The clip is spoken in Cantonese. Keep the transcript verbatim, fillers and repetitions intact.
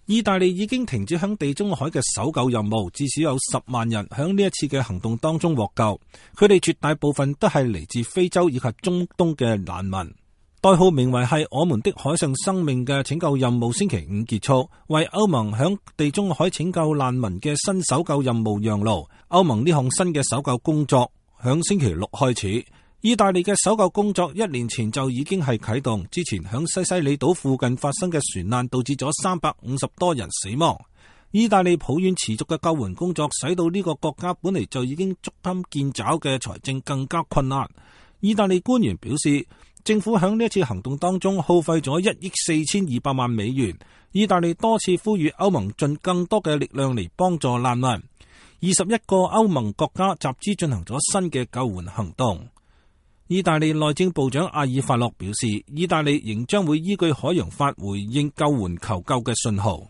意大利已經停止響地中海嘅搜救任務，至少有十萬人響呢一次嘅行動當中獲救，佢哋絕大部分都係嚟自非洲以及中東嘅難民。代號名為係我們的海上生命嘅拯救任務星期五結束，為歐盟響地中海拯救難民嘅新搜救任務讓路。歐盟呢項新嘅搜救工作響星期六開始。意大利嘅搜救工作一年前就已經係啟動，之前響西西里島附近發生嘅船難導致咗三百五十多人死亡。意大利抱怨持續嘅救援工作使到呢個國家本嚟就已經捉襟見肘嘅財政更加困難。意大利官員表示，政府響呢一次行動當中耗費咗一億四千二百萬美元。意大利多次呼籲歐盟盡更多嘅力量嚟幫助難民。二十一個歐盟國家集資進行咗新嘅救援行動。意大利內政部長阿爾法洛表示，意大利仍將會依據海洋法回應救援求救嘅信號。